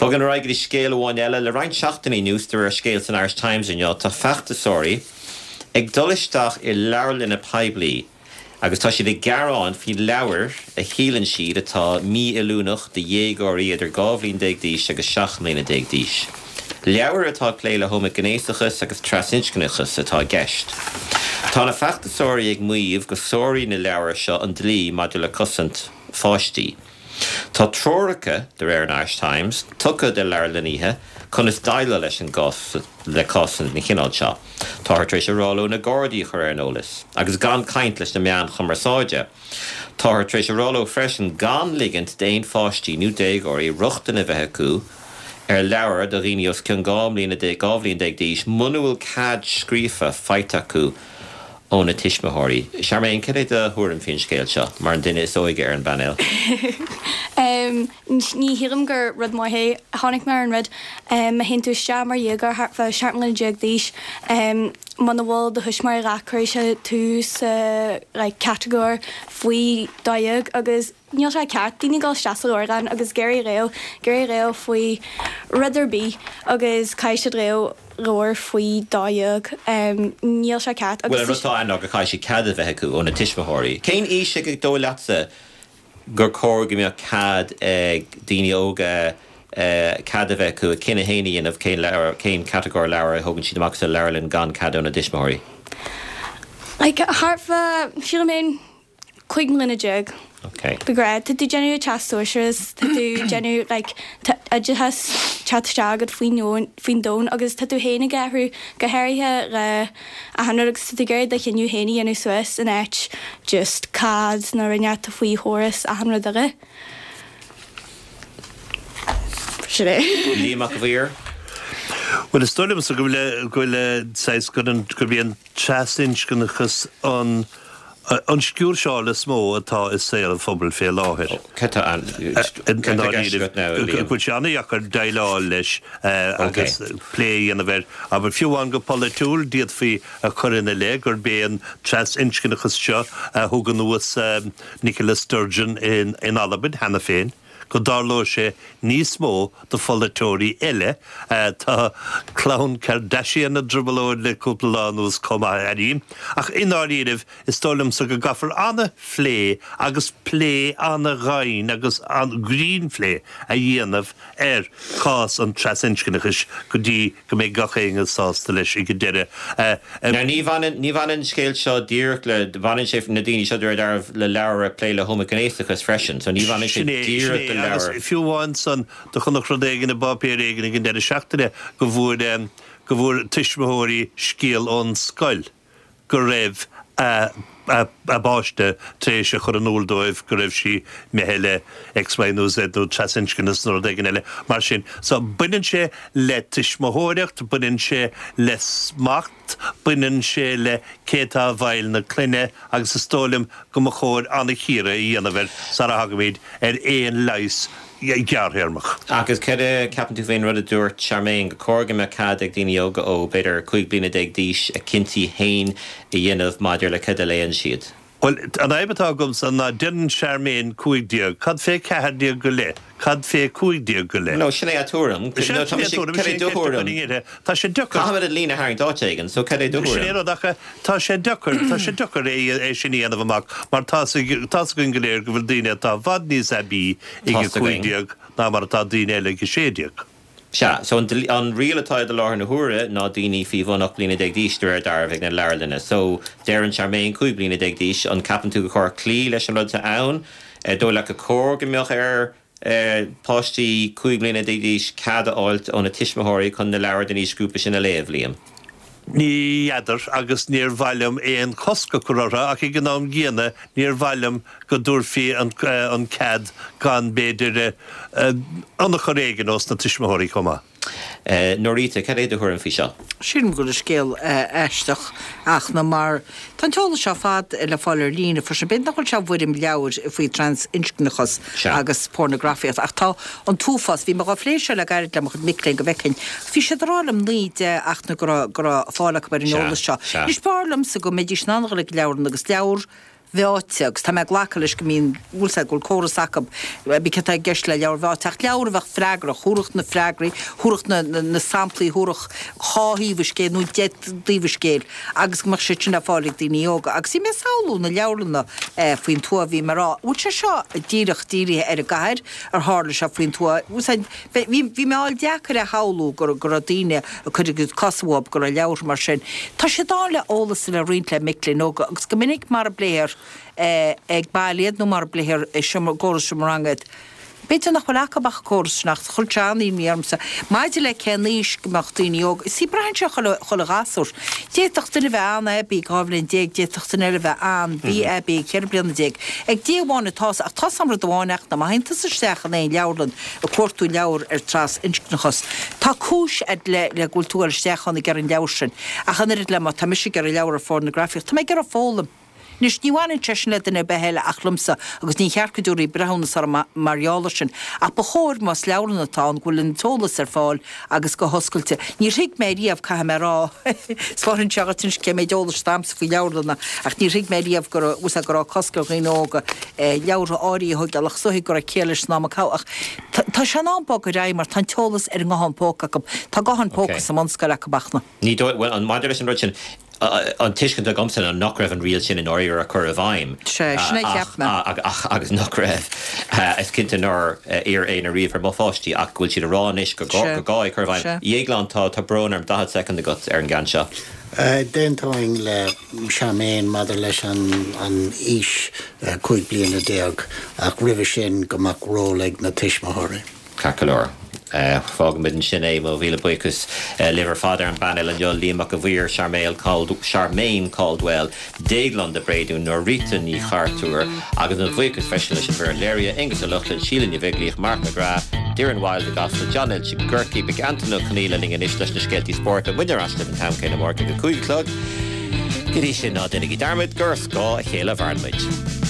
Bogann ar aghaidh go dtí scéal amháin eile. Le roinnt seachtainí anuas, de réir scéil san Irish Times inniu, tá feachtasóirí ag dul isteach i leabharlanna poiblí agus tá siad ag gearán faoi leabhair a shíleann siad atá mífheiliúnach do dhéagóirí idir 12 bhliain d'aois agus 17 mbliana d'aois. Leabhair atá ag plé le homaighnéasachas agus trasinscneachas atá i gceist. Tá na feachtasóirí ag maíomh go sáraíonn na leabhair seo an dlí maidir le cosaint pháistí. Tá treoracha, de réir an Irish Times, tugtha do leabharlannaithe conas déileáil leis an gcás le cásanna den chineál seo. Táthar tar éis a rá leo na Gardaí a chur ar an eolas agus gan caint leis na meáin chumarsáide. Táthar tar éis a rá leo freisin gan ligint d'aon pháistí nó déagóirí rochtain a bheith acu ar leabhair do dhaoine os cionn 12 mbliana d'aois muna bhfuil cead scríofa faighte acu óna tuismitheoirí. Charmaine, cad é do thuairim faoin scéal seo, mar an duine is óige ar an bpainéal? Ní shílim gur rud maith é. Chonaic mé ar an rud, má théann tú isteach mar dhéagóir thart fá 17 mbliana d'aois, muna bhfuil do thuismitheoirí leat cuirfidh sé tú sa like catagóir faoi 12 agus Níl sé ceart daoine dul isteach sa leabharlann agus ag iarraidh léamh, ag iarraidh léamh faoi rud ar bith agus caithfidh siad léamh leabhar faoi 12. Níl sé ceart agus. Bhuel, an rud atá ann ná go caithfidh siad cead a bheith acu óna tuismitheoirí. Cén aois ar dóigh leatsa gur cóir go mbeadh cead ag daoine óga cead a bheith acu a cinneadh féin a dhéanamh cén leabhar, cén catagóir leabhar a thógann siad amach sa leabharlann gan cead óna dtuismitheoirí? Like, thart fá, sílim féin, 15 mbliana. Ok. De ghnáth, tá tú ag déanamh teastas sóisearach, tá tú ag déanamh like tá oideachas teacht isteach agat faoin domhan, faoin domhan agus tá tú féin ag athrú, go háirithe le achan rud agus tá tú ag iarraidh do chinneadh féin a dhéanamh suas in áit just cead nó rud inteacht faoi chóras achan rud eile. Sin é. Liam Mac a' Mhaoir. Bhuel, is dóigh liomsa go bhfuil, go bhfuil saghas, gur an, gurb é an trasinscneachas an an sciúrseáil is mó atá i saol an phobail fé láthair. Cad tá ann? I ndáiríre, go bhfuil sé an-dheacair déileáil leis agus plé a dhéanamh air. Abair, fiú amháin go polaitiúil, d'fhéadfaí a chur ina leith gurb é an trasinscneachas seo a thug anuas Nicola Sturgeon in Albain cheana féin. go dtarlóidh sé níos mó do pholaiteoirí eile. Tá clann Kardashian i dtrioblóid le cúpla lá anuas chomh maith, airím. Ach i ndáiríribh, is dóigh liomsa go gcaithfear an-phlé agus plé an-dhoimhin agus an-ghrinnphlé a dhéanamh ar chás an trasinscneachais go dtí go mbeidh gach éinne sásta leis ag an deireadh. Now ní bhaineann, ní bhaineann an scéal seo díreach le, baineann sé, na daoine seo de réir dealraimh, le leabhair ag plé le homaighnéasachas freisin, so ní bhaineann sé Sin é, sin díreach é, le agus leabhair. fiú amháin san, do chonac rud éigin i bpáipéar éigin ag an deireadh seachtaine go bhfuair, go bhfuair tuismitheoirí scéal ón scoil. go raibh a bpáiste tar éis a chur in iúl dóibh go raibh sí imithe le X, Y nó Z nó trasinscneachas nó rud éigin eile mar sin. So, baineann sé le tuismitheoireacht, baineann sé le smacht, baineann sé le cé atá i bhfeighil na clainne agus is dóigh liom go mba chóir an-chíoradh a dhéanamh air sara thagaimid ar aon leigheas gearrthéarmach. Agus cad a ceapann tú faoin rud a dúirt Charmaine, gur chóir go mbeadh cead ag daoine óga ó b'fhéidir 15 bliana d'aois a gcinntí féin a dhéanamh maidir le cad a léann siad? Bhuel, an fhadhb atá agamsa ná deireann Charmaine 15, cad fé 14 go leith? Cad fé 15 go leith? No, sin é a tuairim. Sin é a tuairim, Cad é do thuairim? Tá sé deacair. Caithfimid an líne a tharraingt áit éigin, so cad é do thuairim? Sin é an rud, ach tá sé deacair, tá sé deacair é sin a dhéanamh amach mar tá's againn go léir go bhfuil daoine atá i bhfad níos aibí ag 15 ná mar atá daoine eile ag 16. Sea, so an an riail atá i láthair na huaire ná daoine faoi bhun 18 bliana d'aois de réir dealraimh ag na leabharlanna. So, deireann Charmaine 15 bliana d'aois, an ceapann tú gur chóir cloí leis an rud atá ann? Dóigh leat gur chóir go mbeadh ar páistí 15 bliana d'aois cead a fháilt óna tuismitheoirí chun na leabhair den aoisghrúpa sin a léamh, Liam? Ní fheadar, agus níor mhaith liom aon chosc a chur orthu, ach ag an am gcéanna níor mhaith liom go dtabharfaí an cead gan, b'fhéidir, ionchur éigin ós na tuismitheoirí chomh maith. Norita, cad é do thuairim faoi seo? Sílim go bhfuil an scéal aisteach ach ná mar tá an t-eolas seo ar fad le fáil ar líne freisin. B'fhéidir nach bhfuil sé i bhfoirm leabhair faoi trans-inscneachas agus pornagrafaíocht ach tá an t-uafás, bhí mé dhá phlé seo le gairid le mo chuid mic léinn go bhfeicfinn. Bhí siad ag rá liom 9, 10 ach go raibh go raibh fáil acu ar an eolas seo. Anois b'fhearr liomsa go mbeidís in ann a dhul ag leabharlann agus leabhar. mheáite, agus tá mé ag glacadh leis go mbíonn, bhfuil 's a'd, go bhfuil córas acu, b'fhéidir céard atá i gceist le leabhar mheáite, ach leabhar a bheadh freagrach, thabharfadh na freagraí, thabharfadh na, na, na samplaí, thabharfadh dhá thaobh an scéil nó deich dtaobh an scéil agus go mbeadh siad sin le fáil ag daoine óga. Agus bhí mé ag samhlú na leabharlanna faoin tuath, bhí mé ag rá, bhfuil sé seo díreach dírithe ar an gcathair, ar tharla sé faoin tuath, bhfuil 's a'd, Bhí, bhí mé á fháil deacair a shamhlú go, go raibh daoine ag cur a gcuid cosa uathu, go raibh leabhartha mar sin. Tá siad ann le eolas a bheith roinnt le mic léinn óga agus go minic mar a bpléifear ag baile iad nó mar a bpléifear i seomra, i gcóras seomra ranga iad. B'fhéidir nach bhfuil acu ach an córas sin ach chuir sé an-imní ormsa. Maidir le cén aois go mbeadh daoine óga, see braitheann sé ar chuile, chuile ghasúr. D'fhéadfadh duine a bheith an-aibí ag 12 bhliain, d'fhéadfadh duine eile a bheith an-mhí-aibí ag 14 bliana. Ag Dia amháin atá a fhios, ach tá 's a'm rud amháin ach má théann tusa isteach in aon leabharlann ag cuartú leabhar ar trasinscneachas, tá cúis a'd le le go bhfuil tú ag dul isteach ann ag iarraidh an leabhar sin. Ach an oiread le má tá mise ag iarraidh leabhar ar phornagrafaíocht, tá mé ag iarraidh foghlaim. Anois, ní bhaineann sé sin le duine ar bith eile ach liomsa, agus ní cheart go dtabharfaí breithiúnas orm mar gheall air sin, ach ba chóir, más leabharlann atá ann, go bhfuil an t-eolas ar fáil agus go hoscailte. Níor thuig mé riamh, caithfidh mé a rá, 'spáineann sé dhuit anois cé méid eolais atá a'msa faoi leabharlanna, ach níor thuig mé riamh go raibh, bhfuil 's a'd, go raibh cosc ar dhaoine óga leabhartha áirithe a thógáil, ach is dóigh go raibh ciall leis san am a caitheadh. Ach tá sé in am bogadh ar aghaidh mar tá an t-eolas ar an nguthán póca acu. Tá guthán póca sa mbunscoil acu ach na. Ní dóigh, bhuel, an, maidir leis an rud sin, an tuiscint agamsa ná nach raibh an riail sin i ndáiríre á cur i bhfeidhm. Sea, sin é a cheap mé. Ach, agus nach raibh, is cinnte nár iarr éinne riamh ar mo pháistí ach go bhfuil siad a rá anois gur gá, gur gá é a chur i bhfeidhm. A Dhéagláin, tá, tá brón orm, 40 soicind agat ar an gceann seo. D'aontóinn le Charmaine maidir leis an aois 15 bliana ach roimhe sin go mbeadh ról ag na tuismitheoirí. Ceart go leor. Fágfaimid ansin é. Mo mhíle buíochas libh ar fad ar an bpainéal inniu, Liam Mac a' Mhaoir, Charmaine Caldwell, Déaglán de Bréadún, Norita Ní Chartúir, agus mo bhuíochas freisin leis an bhfoireann léirithe, Aonghus Ó Lochlainn, Síle Ní Bheaglaoich, Mark McGrath, Doireann Wilde i gCasla, John Lynch i gCorcaigh. Beidh Antain Ó Conghaile linn anois leis na scéaltaí spóirt. Beidh muidne ar ais libh an t-am céanna amárach ag a 5 a chlog. Go dtí sin, ná déanaigí dearmad gur ar scáth a chéile a mhaireann muid.